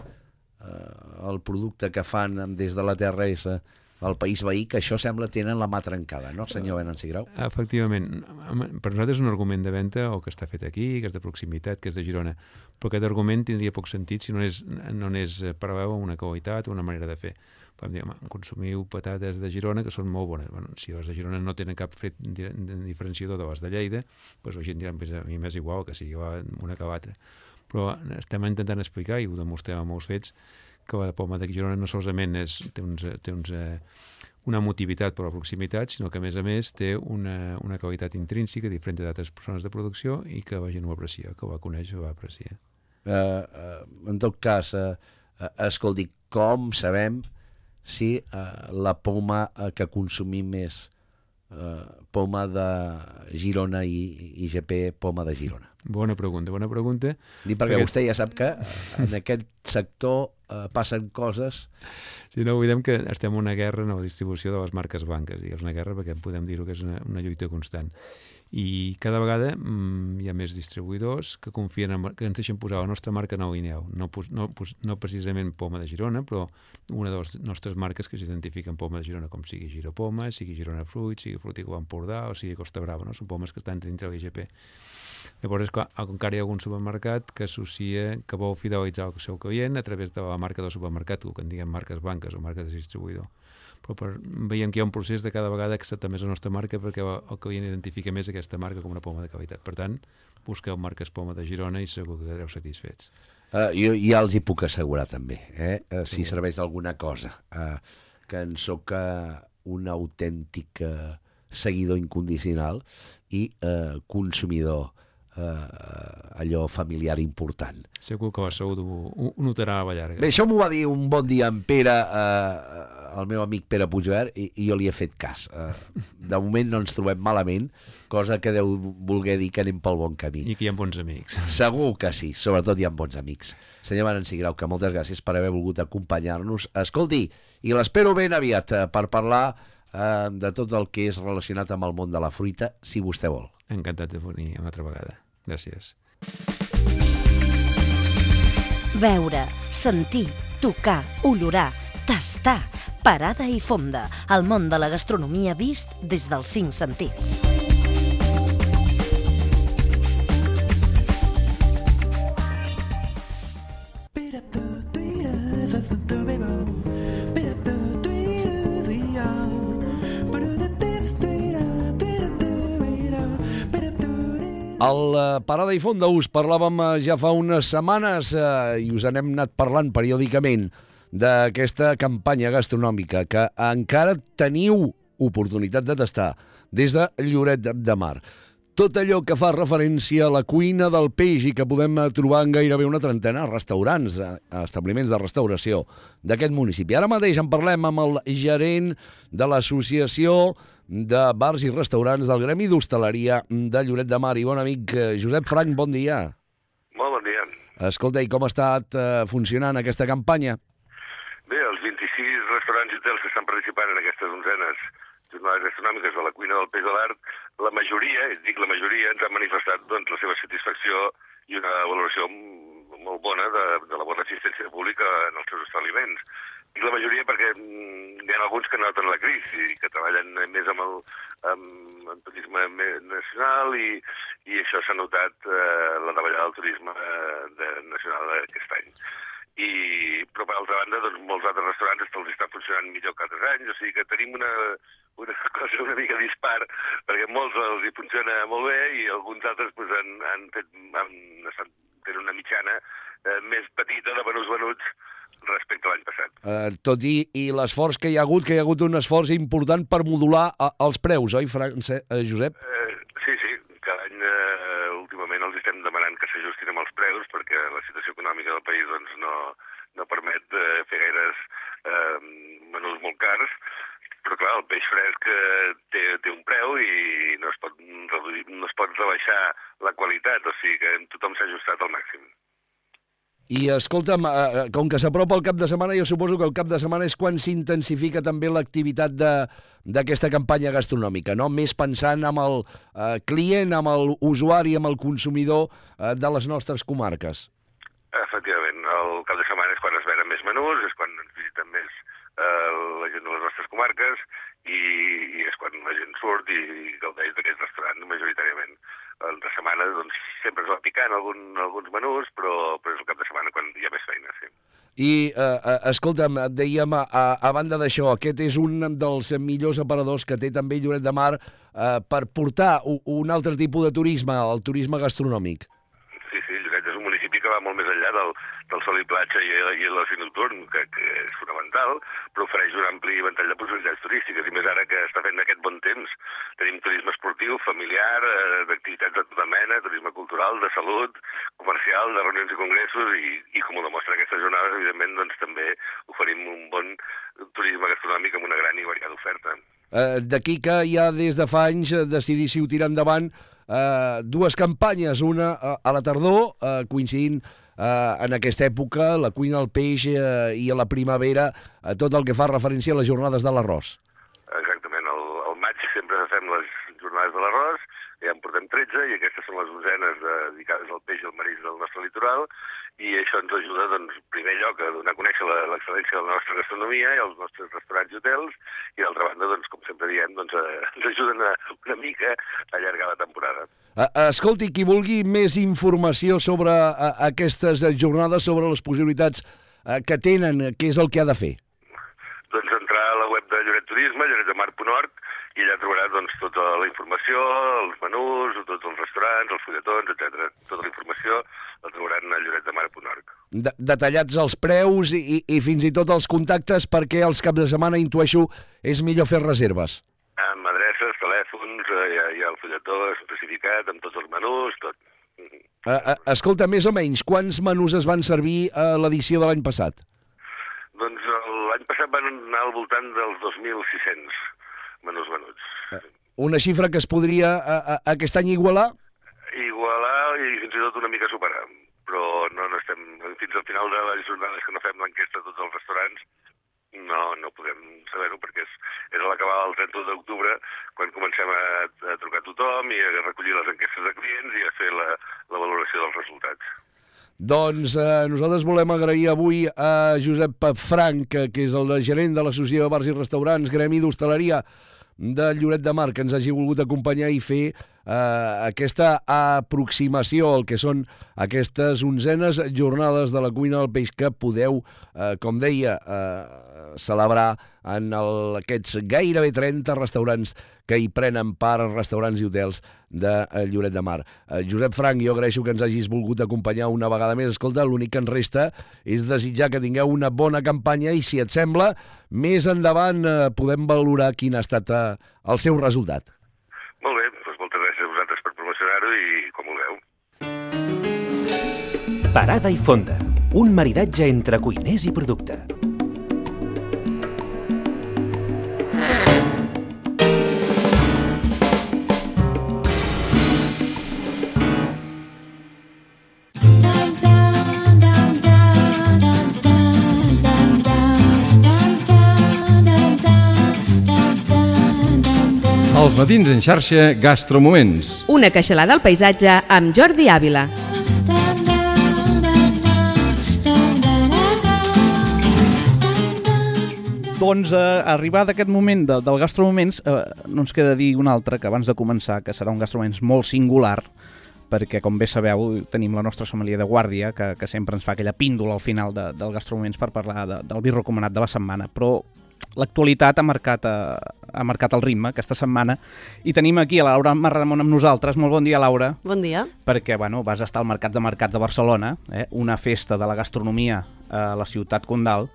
Uh, el producte que fan des de la Terra és uh, el país veí, que això sembla tenen la mà trencada, no, senyor Venanci Grau? Efectivament. Per nosaltres és un argument de venda o que està fet aquí, que és de proximitat, que és de Girona, però aquest argument tindria poc sentit si no és, no és paral·lel a una qualitat o una manera de fer. Podem dir, home, consumiu patates de Girona que són molt bones. Bueno, si les de Girona no tenen cap fet diferenciador de les de Lleida, doncs la gent dirà, a mi m'és igual que sigui una que l'altra. Però estem intentant explicar, i ho demostrem amb molts fets, que la poma de Girona no solament és, té, uns, té uns, eh, una motivitat per la proximitat, sinó que a més a més té una, una qualitat intrínseca diferent d'altres persones de producció i que la gent ho aprecia, que ho va conèixer, ho va apreciar. Uh, uh, en tot cas, uh, uh, escolti, com sabem si uh, la poma uh, que consumim és eh, Poma de Girona i I G P Poma de Girona? Bona pregunta, bona pregunta. Dic perquè, perquè vostè ja sap que en aquest sector eh, passen coses... Si no oblidem que estem en una guerra en la distribució de les marques blanques, i és una guerra perquè podem dir-ho que és una, una lluita constant. I cada vegada mm, hi ha més distribuïdors que confien en, que ens deixen posar la nostra marca nou i neu. No, no, no precisament Poma de Girona, però una de les nostres marques que s'identifiquen Poma de Girona, com sigui Giropoma, sigui Girona Fruit, sigui Fruticó Empordà o sigui Costa Brava, no? Són pomes que estan dintre l'I G P. Llavors, clar, encara hi ha algun supermercat que associa, que vol fidelitzar el seu client a través de la marca del supermercat, el que en diguem marques blanques o marques de distribuïdor. Però per, veiem que hi ha un procés de cada vegada acceptar més la nostra marca perquè el client identifica més aquesta marca com una poma de qualitat. Per tant, busqueu marques Poma de Girona i segur que quedareu satisfets. Uh, jo ja els hi puc assegurar també, eh? uh, si serveix d'alguna cosa, uh, que en soc uh, un autèntic uh, seguidor incondicional i uh, consumidor Uh, allò familiar important. Segur que la salut ho, ho notarà a la llarga. Bé, això m'ho va dir un bon dia en Pere, uh, el meu amic Pere Puigvert, i, i jo li he fet cas. Uh, de moment no ens trobem malament, cosa que deu voler dir que anem pel bon camí. I que hi ha bons amics. Segur que sí, sobretot hi ha bons amics. Senyor Maranci Grau, que moltes gràcies per haver volgut acompanyar-nos. Escolti, i l'espero ben aviat uh, per parlar uh, de tot el que és relacionat amb el món de la fruita, si vostè vol. Encantat de venir una altra vegada. Gràcies. Veure, sentir, tocar, olorar, tastar, parada i fonda. El món de la gastronomia vist des dels cinc sentits. Al Parada i Fonda us parlàvem ja fa unes setmanes eh, i us n'hem anat parlant periòdicament d'aquesta campanya gastronòmica que encara teniu oportunitat de tastar des de Lloret de Mar. Tot allò que fa referència a la cuina del peix i que podem trobar en gairebé una trentena de restaurants, establiments de restauració d'aquest municipi. Ara mateix en parlem amb el gerent de l'Associació de Bars i Restaurants del Gremi d'Hostaleria de Lloret de Mar i bon amic Josep Frank, bon dia. Molt bon dia. Escolta, i com ha estat eh, funcionant aquesta campanya? Bé, els vint-i-sis restaurants i hotels que estan participant en aquestes onzenes jornades gastronòmiques de la cuina del peix de l'art, la majoria, dic la majoria, ens han manifestat doncs, la seva satisfacció i una valoració molt bona de, de la bona assistència pública en els seus establiments. Dic la majoria perquè hi ha alguns que noten la crisi i que treballen més amb el amb, amb turisme nacional i, i això s'ha notat eh, la davallada del turisme de, nacional aquest any. I, però per altra banda, doncs, molts altres restaurants els estan funcionant millor que altres anys, o sigui que tenim una, una cosa una mica dispar, perquè molts els hi funciona molt bé i alguns altres pues, han, han fet, han, estan tenen una mitjana eh, més petita de venuts venuts respecte a l'any passat. Uh, tot i, i l'esforç que hi ha hagut, que hi ha hagut un esforç important per modular uh, els preus, oi, France, uh, Josep? Uh, sí, sí, cada any uh, últimament els estem demanant que s'ajustin amb els preus perquè la situació econòmica del país doncs, no, no permet uh, fer gaires uh, menús molt cars, però clar, el peix fresc uh, té, té un preu i no es pot reduir, no es pot rebaixar la qualitat, o sigui que tothom s'ha ajustat al màxim. I escolta'm, eh, com que s'apropa el cap de setmana, jo suposo que el cap de setmana és quan s'intensifica també l'activitat d'aquesta campanya gastronòmica, no? Més pensant amb el eh, client, amb l'usuari, amb el consumidor eh, de les nostres comarques. Efectivament, el cap de setmana és quan es venen més menús, és quan ens visiten més eh, la gent de les nostres comarques i, i és quan la gent surt i gaudeix d'aquest restaurant majoritàriament. De setmana doncs, sempre es va picant algun, alguns menús, però, però és el cap de setmana quan hi ha més feina, sí. I, eh, escolta'm, dèiem, a, a banda d'això, aquest és un dels millors aparadors que té també Lloret de Mar eh, per portar un, un altre tipus de turisme, el turisme gastronòmic. Sí, sí, Lloret és un municipi que va molt més enllà del, del sol i platja i, i l'oci nocturn, que, que és fonamental, però ofereix un ampli ventall de possibilitats turístiques, i més ara que està fent aquest bon temps. Tenim turisme esportiu, familiar, eh, d'activitats de tota mena, turisme cultural, de salut, comercial, de reunions i congressos, i, i com ho demostra aquestes jornades, evidentment, doncs també oferim un bon turisme gastronòmic amb una gran i variada oferta. Eh, D'aquí que ja des de fa anys decidíssiu tirar endavant eh, dues campanyes, una a, a la tardor, eh, coincidint eh, en aquesta època, la cuina al peix eh, i a la primavera, eh, tot el que fa referència a les jornades de l'arròs. Exactament, al, al maig sempre fem les jornades de l'arròs, ja en portem tretze i aquestes són les onzenes dedicades al peix i al marisc del nostre litoral, i això ens ajuda, doncs, en primer lloc, a donar a conèixer l'excel·lència de la nostra gastronomia i els nostres restaurants i hotels, i d'altra banda, doncs, com sempre diem, doncs, eh, ens ajuden a, una mica a allargar la temporada. Escolti, qui vulgui més informació sobre a, aquestes jornades, sobre les possibilitats a, que tenen, què és el que ha de fer? Doncs entrar a la web de Lloret Turisme, lloret de mar punt org, i allà trobarà doncs, tota la informació, els menús, tots els restaurants, els fulletons, etcètera. Tota la informació la trobaran a lloret de mar punt org. De detallats els preus i, i fins i tot els contactes, perquè els caps de setmana, intueixo, és millor fer reserves. Amb adreces, telèfons, eh, hi, ha, hi ha el fulletó especificat, amb tots els menús, tot. Uh, uh, escolta, més o menys, quants menús es van servir a l'edició de l'any passat? Doncs l'any passat van anar al voltant dels dos mil sis-cents menús venuts. Uh, una xifra que es podria uh, uh, aquest any igualar? Igualar i fins i tot una mica superar, però no, no estem, fins al final de les jornades que no fem l'enquesta a tots els restaurants, no, no podem saber-ho, perquè és, és a l'acabar el trenta d'octubre quan comencem a, a trucar a tothom i a recollir les enquestes de clients i a fer la, la valoració dels resultats. Doncs eh, nosaltres volem agrair avui a Josep Frank, que és el gerent de l'Associació de Bars i Restaurants, Gremi d'Hostaleria de Lloret de Mar, que ens hagi volgut acompanyar i fer eh, aquesta aproximació al que són aquestes onzenes jornades de la cuina del peix que podeu, eh, com deia, eh, celebrar en el, aquests gairebé trenta restaurants que hi prenen part, restaurants i hotels de Lloret de Mar. Eh, Josep Frank, jo agraeixo que ens hagis volgut acompanyar una vegada més. Escolta, l'únic que ens resta és desitjar que tingueu una bona campanya i, si et sembla, més endavant eh, podem valorar quin ha estat eh, el seu resultat. Molt bé, doncs moltes gràcies a vosaltres per promocionar-ho i com vulgueu. Parada i fonda, un maridatge entre cuiners i producte. Els matins en xarxa Gastromoments. Una queixalada al paisatge amb Jordi Àvila. Doncs eh, arribat aquest moment de, del Gastromoments, eh, no ens queda dir un altre, que abans de començar, que serà un Gastromoments molt singular, perquè, com bé sabeu, tenim la nostra sommelier de guàrdia, que, que sempre ens fa aquella píndola al final de, del Gastromoments per parlar de, del vi recomanat de la setmana, però l'actualitat ha marcat, eh, ha marcat el ritme aquesta setmana i tenim aquí a la Laura Marramon amb nosaltres. Molt bon dia, Laura. Bon dia. Perquè bueno, vas estar al Mercat de Mercats de Barcelona, eh, una festa de la gastronomia a la ciutat condal,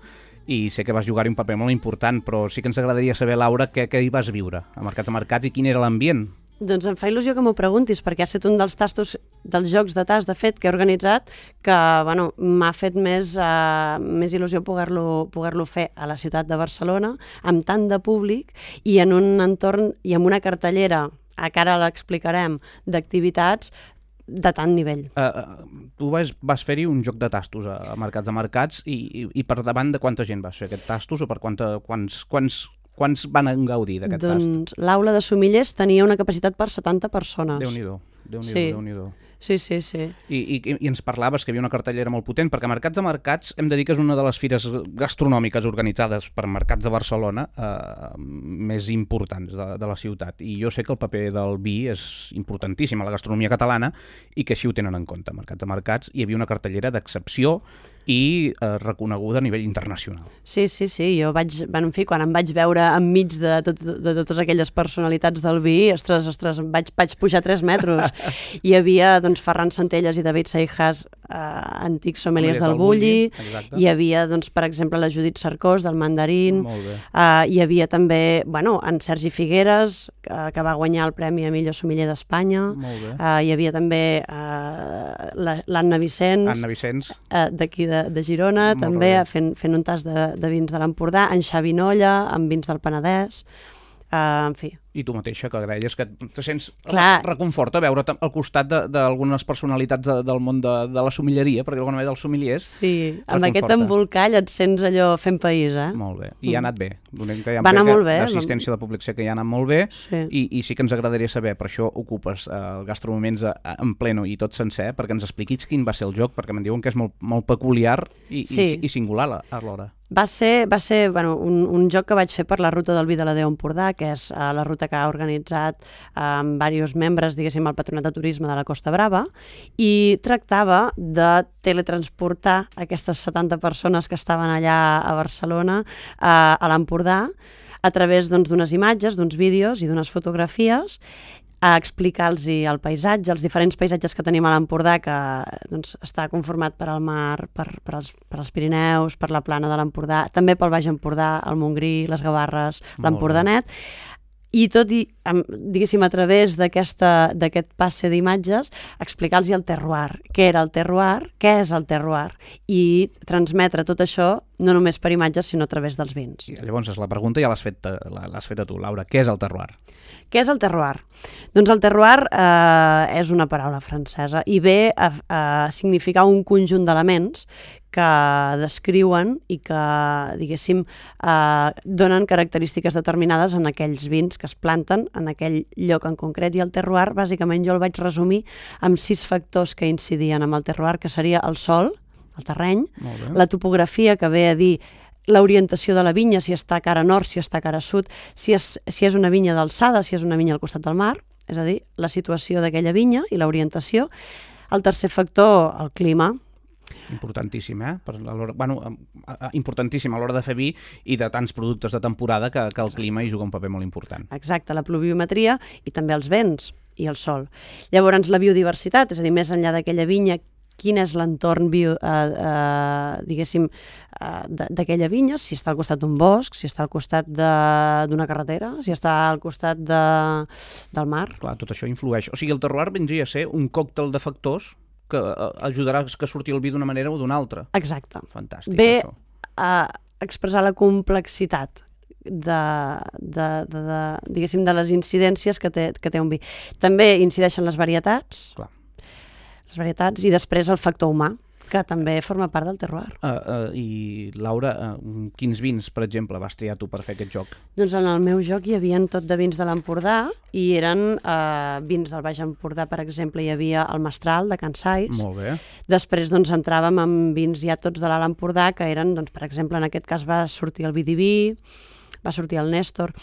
i sé que vas jugar-hi un paper molt important, però sí que ens agradaria saber, Laura, què, què hi vas viure a Mercats de Mercats i quin era l'ambient. Doncs em fa il·lusió que m'ho preguntis, perquè ha estat un dels tastos, dels jocs de tast, de fet, que he organitzat, que bueno, m'ha fet més, uh, més il·lusió poder-lo poder-lo fer a la ciutat de Barcelona, amb tant de públic i en un entorn i amb una cartellera, a cara l'explicarem, d'activitats de tant nivell. Uh, tu vas, vas fer-hi un joc de tastos a, a Mercats de Mercats i, i, i per davant de quanta gent vas fer aquest tastos o per quanta, quants... quants Quants van gaudir d'aquest tast? Doncs l'aula de somillers tenia una capacitat per setanta persones. Déu-n'hi-do, Déu-n'hi-do, sí. Déu-n'hi-do. Sí, sí, sí. I, i, I ens parlaves que hi havia una cartellera molt potent, perquè Mercats de Mercats hem de dir que és una de les fires gastronòmiques organitzades per Mercats de Barcelona eh, més importants de, de la ciutat. I jo sé que el paper del vi és importantíssim a la gastronomia catalana i que així ho tenen en compte. Mercats de Mercats hi havia una cartellera d'excepció i eh, reconeguda a nivell internacional. Sí, sí, sí, jo vaig, bueno, en fi, quan em vaig veure enmig de, tot, de totes aquelles personalitats del vi, ostres, ostres, vaig, vaig pujar tres metres. Hi havia, doncs, Ferran Centelles i David Seijas, eh, antics sommeliers del Bulli, hi havia, doncs, per exemple, la Judit Cercós, del Mandarín, eh, hi havia també, bueno, en Sergi Figueres, eh, que va guanyar el Premi a millor sommelier d'Espanya, eh, hi havia també eh, l'Anna Vicenç, Anna Vicenç. Eh, d'aquí de De, de Girona, molt també fent, fent un tas de, de vins de l'Empordà, en Xavi Nolla, amb vins del Penedès, Uh, en fi. I tu mateixa, que deies que te sents Clar. reconforta veure al costat d'algunes personalitats de, del món de, de la somilleria, perquè d'alguna manera dels somillers... Sí, amb aquest embolcall et sents allò fent país, eh? Molt bé. I ha anat bé. Que Va anar molt bé. L'assistència de públic sé que ja ha anat molt bé, sí. I, i sí que ens agradaria saber, per això ocupes eh, el Gastromoments en pleno i tot sencer, perquè ens expliquis quin va ser el joc, perquè me'n diuen que és molt, molt peculiar i, sí. i, i singular alhora. Va ser, va ser bueno, un, un joc que vaig fer per la ruta del Vi de la Déu Empordà, que és uh, la ruta que ha organitzat uh, amb diversos membres, diguéssim, el Patronat de Turisme de la Costa Brava, i tractava de teletransportar aquestes setanta persones que estaven allà a Barcelona uh, a l'Empordà a través doncs, d'unes imatges, d'uns vídeos i d'unes fotografies, a explicar-los el paisatge, els diferents paisatges que tenim a l'Empordà, que doncs, està conformat per al mar, per, per, als, per als Pirineus, per la plana de l'Empordà, també pel Baix Empordà, el Montgrí, les Gavarres, l'Empordanet, i tot, i, diguéssim, a través d'aquest passe d'imatges, explicar-los el terroir, què era el terroir, què és el terroir, i transmetre tot això no només per imatges, sinó a través dels vins. I llavors, la pregunta ja l'has fet, l'has fet a tu, Laura. Què és el terroir? Què és el terroir? Doncs el terroir eh, és una paraula francesa i ve a, a significar un conjunt d'elements que descriuen i que, diguéssim, eh, donen característiques determinades en aquells vins que es planten en aquell lloc en concret. I el terroir, bàsicament, jo el vaig resumir amb sis factors que incidien amb el terroir, que seria el sol, el terreny, la topografia, que ve a dir l'orientació de la vinya, si està cara nord, si està cara sud, si és, si és una vinya d'alçada, si és una vinya al costat del mar, és a dir, la situació d'aquella vinya i l'orientació. El tercer factor, el clima. Importantíssim, eh? Per a bueno, importantíssim a l'hora de fer vi i de tants productes de temporada que, que el clima hi juga un paper molt important. Exacte, la pluviometria i també els vents i el sol. Llavors, la biodiversitat, és a dir, més enllà d'aquella vinya, quin és l'entorn, bio, eh, eh, diguéssim, eh, d'aquella vinya, si està al costat d'un bosc, si està al costat d'una carretera, si està al costat de, del mar. Clar, tot això influeix. O sigui, el terroir vindria a ser un còctel de factors que ajudarà que surti el vi d'una manera o d'una altra. Exacte. Fantàstic, Ve això. a expressar la complexitat de, de, de, de, diguéssim, de les incidències que té, que té un vi. També incideixen les varietats. Clar. les varietats, i després el factor humà, que també forma part del terroir. Uh, uh, I, Laura, uh, quins vins, per exemple, vas triar tu per fer aquest joc? Doncs en el meu joc hi havia tot de vins de l'Empordà, i eren uh, vins del Baix Empordà, per exemple, hi havia el Mestral, de Can Sais. Molt bé. Després doncs, entràvem amb vins ja tots de l'Alt Empordà, que eren, doncs, per exemple, en aquest cas va sortir el Vidiví, va sortir el Néstor.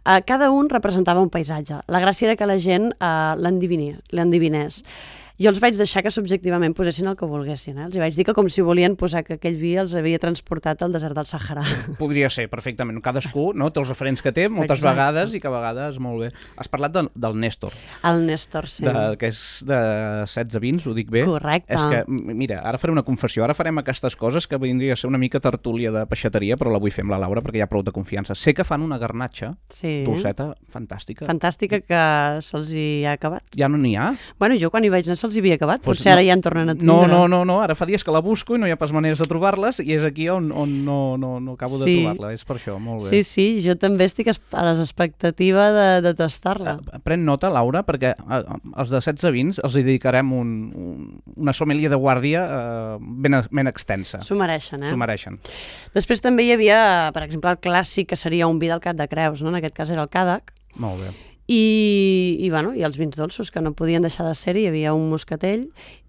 Uh, cada un representava un paisatge. La gràcia era que la gent uh, l'endivinés. Jo els vaig deixar que subjectivament posessin el que volguessin. Eh? Els vaig dir que com si volien posar que aquell vi els havia transportat al desert del Sàhara. Podria ser, perfectament. Cadascú, no? Té els referents que té moltes Exacte. vegades i que a vegades molt bé. Has parlat de, del Néstor. El Néstor, sí. De, que és de setze vins, ho dic bé. Correcte. És que, mira, ara faré una confessió. Ara farem aquestes coses que vindria a ser una mica tertúlia de peixateria, però la vull fer amb la Laura perquè hi ha prou de confiança. Sé que fan una garnatxa, sí. dolceta, fantàstica. Fantàstica, que se'ls hi ha acabat. Ja no n'hi ha? Bueno, jo quan hi vaig anar se'ls hi havia acabat, pues potser no, ara ja en tornen a tindre. No, no, no, no, ara fa dies que la busco i no hi ha pas maneres de trobar-les i és aquí on, on no, no, no acabo sí. de trobar-la, és per això, molt bé. Sí, sí, jo també estic a l'expectativa de, de tastar-la. Pren nota, Laura, perquè els de setze vins els hi dedicarem un, un, una sommelier de guàrdia eh, ben, ben extensa. S'ho mereixen, eh? S'ho mereixen. Després també hi havia, per exemple, el clàssic, que seria un vi del Cap de Creus, no? En aquest cas era el Càdec. Molt bé. I, i, bueno, i els vins dolços, que no podien deixar de ser-hi. Hi havia un moscatell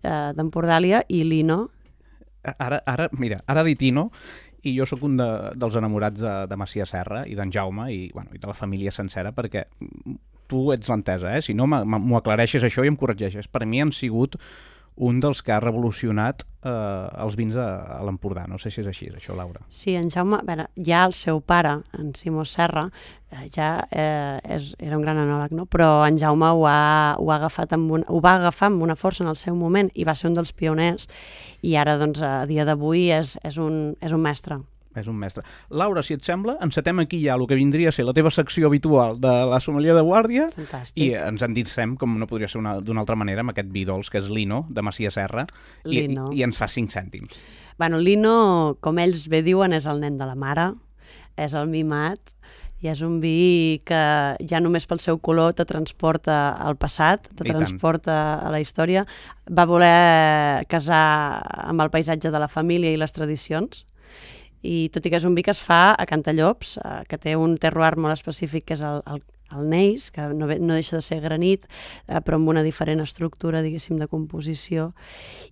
eh, d'Empordàlia i l'Ino. Ara, ara, mira, ara dit Ino, i jo sóc un de, dels enamorats de, de Macià Serra i d'en Jaume i, bueno, i de la família sencera, perquè tu ets l'entesa, eh? Si no m'ho aclareixes això i em corregeixes. Per mi han sigut un dels que ha revolucionat eh, els vins a, a l'Empordà. No sé si és així, això, Laura. Sí, en Jaume, a veure, ja el seu pare, en Simó Serra, eh, ja eh, és, era un gran enòleg, no? Però en Jaume ho, ha, ho, ha agafat amb un, ho va agafar amb una força en el seu moment i va ser un dels pioners, i ara, doncs, a dia d'avui és, és, un, és un mestre. És un mestre. Laura, si et sembla, encetem aquí ja el que vindria a ser la teva secció habitual de la sommelier de guàrdia. Fantàstic. I ens endissem, com no podria ser d'una altra manera, amb aquest vi dolç, que és l'Ino, de Macià Serra, i, i, i ens fa cinc cèntims. Bueno, l'Ino, com ells bé diuen, és el nen de la mare, és el mimat, I és un vi que ja només pel seu color te transporta al passat, te transporta a la història. Va voler casar amb el paisatge de la família i les tradicions. I tot i que és un vi que es fa a Cantallops, que té un terroir molt específic, que és el, el, el neis, que no, no deixa de ser granit, eh, però amb una diferent estructura, diguéssim, de composició.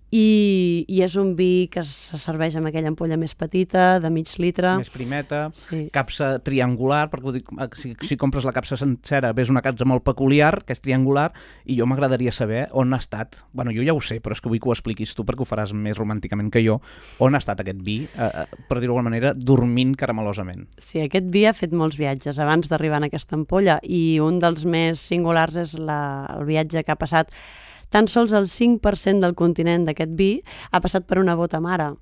I, i és un vi que se serveix amb aquella ampolla més petita, de mig litre. Més primeta, sí. Capsa triangular, perquè dic, si, si compres la capsa sencera ves una capsa molt peculiar, que és triangular, i jo m'agradaria saber on ha estat, bueno, jo ja ho sé, però és que vull que ho expliquis tu perquè ho faràs més romànticament que jo, on ha estat aquest vi, eh, per dir-ho d'alguna manera, dormint caramelosament. Sí, aquest vi ha fet molts viatges abans d'arribar en aquesta ampolla, i un dels més singulars és la, el viatge que ha passat. Tan sols el cinc per cent del continent d'aquest vi ha passat per una bota mare,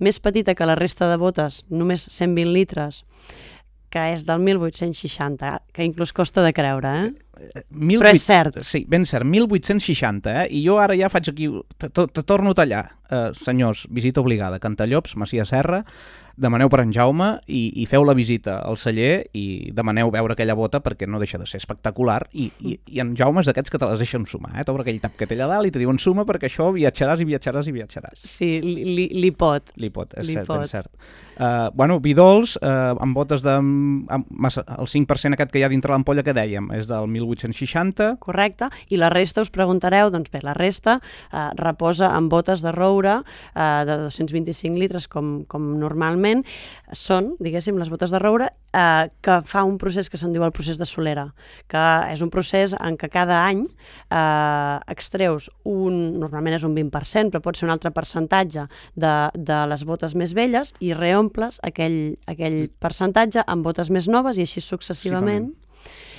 més petita que la resta de botes, només cent vint litres, que és del mil vuit-cents seixanta, que inclús costa de creure, eh? mil vuit... Però és cert. Sí, ben cert, mil vuit-cents seixanta, eh? I jo ara ja faig aquí, te, te torno a tallar. Eh, senyors, visita obligada, Cantallops, Masia Serra, demaneu per en Jaume i, i feu la visita al celler i demaneu veure aquella bota perquè no deixa de ser espectacular i, i, i en Jaume és d'aquests que te les deixen sumar, eh? T'obre aquell tap que té allà dalt i te diuen suma perquè això viatjaràs i viatjaràs i viatjaràs. Sí, li, li pot. Li pot, és li cert, pot. ben cert. Uh, bueno, vi dolç, uh, amb botes de... Amb, massa, el cinc per cent aquest que hi ha dintre l'ampolla que dèiem és del mil vuit-cents seixanta. Correcte, i la resta us preguntareu, doncs bé, la resta uh, reposa en botes de roure uh, de dos-cents vint-i-cinc litres com, com normalment. Són, diguéssim, les botes de roure eh, que fa un procés que se'n diu el procés de solera, que és un procés en què cada any eh, extreus un, normalment és un vint per cent, però pot ser un altre percentatge de, de les botes més velles i reomples aquell, aquell percentatge amb botes més noves i així successivament.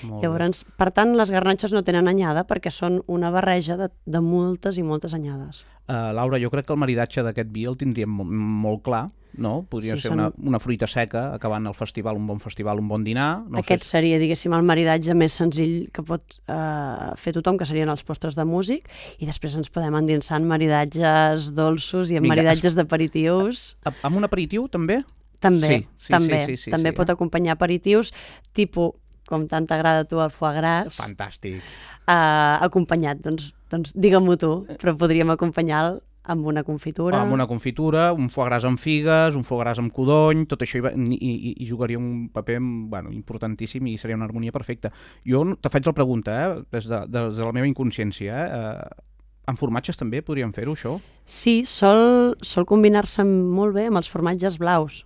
Llavors, per tant, les garnatxes no tenen anyada perquè són una barreja de, de moltes i moltes anyades. Uh, Laura, jo crec que el maridatge d'aquest vi el tindríem molt, molt clar, no? Podria sí, ser són... una, una fruita seca, acabant el festival, un bon festival, un bon dinar. No Aquest sé... seria, diguéssim, el maridatge més senzill que pot uh, fer tothom, que serien els postres de músic, i després ens podem endinsar en maridatges dolços i en Vinga, maridatges es... d'aperitius. Amb un aperitiu, també? També, sí, sí, també. Sí, sí, sí, també sí, pot acompanyar aperitius, tipus, com tant t'agrada a tu el foie gras. Fantàstic. Uh, acompanyat, doncs, doncs digue-m'ho tu, però podríem acompanyar-lo amb una confitura. Amb una confitura, un foie gras amb figues, un foie gras amb codony, tot això hi, i, i, i jugaria un paper bueno, importantíssim i seria una harmonia perfecta. Jo te faig la pregunta, eh, des, de, des de la meva inconsciència, eh, amb formatges també podríem fer-ho, això? Sí, sol, sol combinar-se molt bé amb els formatges blaus.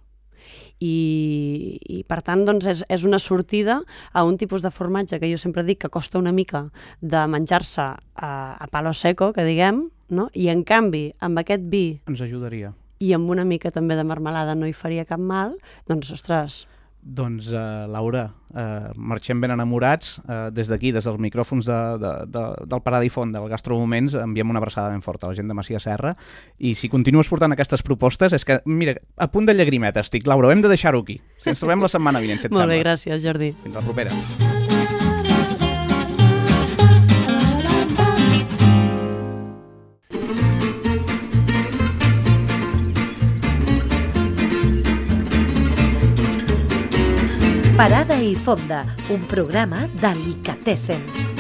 I, i per tant doncs és, és una sortida a un tipus de formatge que jo sempre dic que costa una mica de menjar-se a, a palo seco, que diguem, no? I en canvi amb aquest vi ens ajudaria i amb una mica també de marmelada no hi faria cap mal, doncs ostres. Doncs, uh, Laura, uh, marxem ben enamorats. Uh, des d'aquí, des dels micròfons de, de, de, del Parada i Font, del Gastromoments, enviem una abraçada ben forta a la gent de Masia Serra. I si continues portant aquestes propostes, és que, mira, a punt de llagrimeta estic. Laura, hem de deixar-ho aquí. Ens trobem la setmana vinent, si et Molt sembla. bé, gràcies, Jordi. Fins la propera. Parada i Fonda, un programa d'Alicatessen.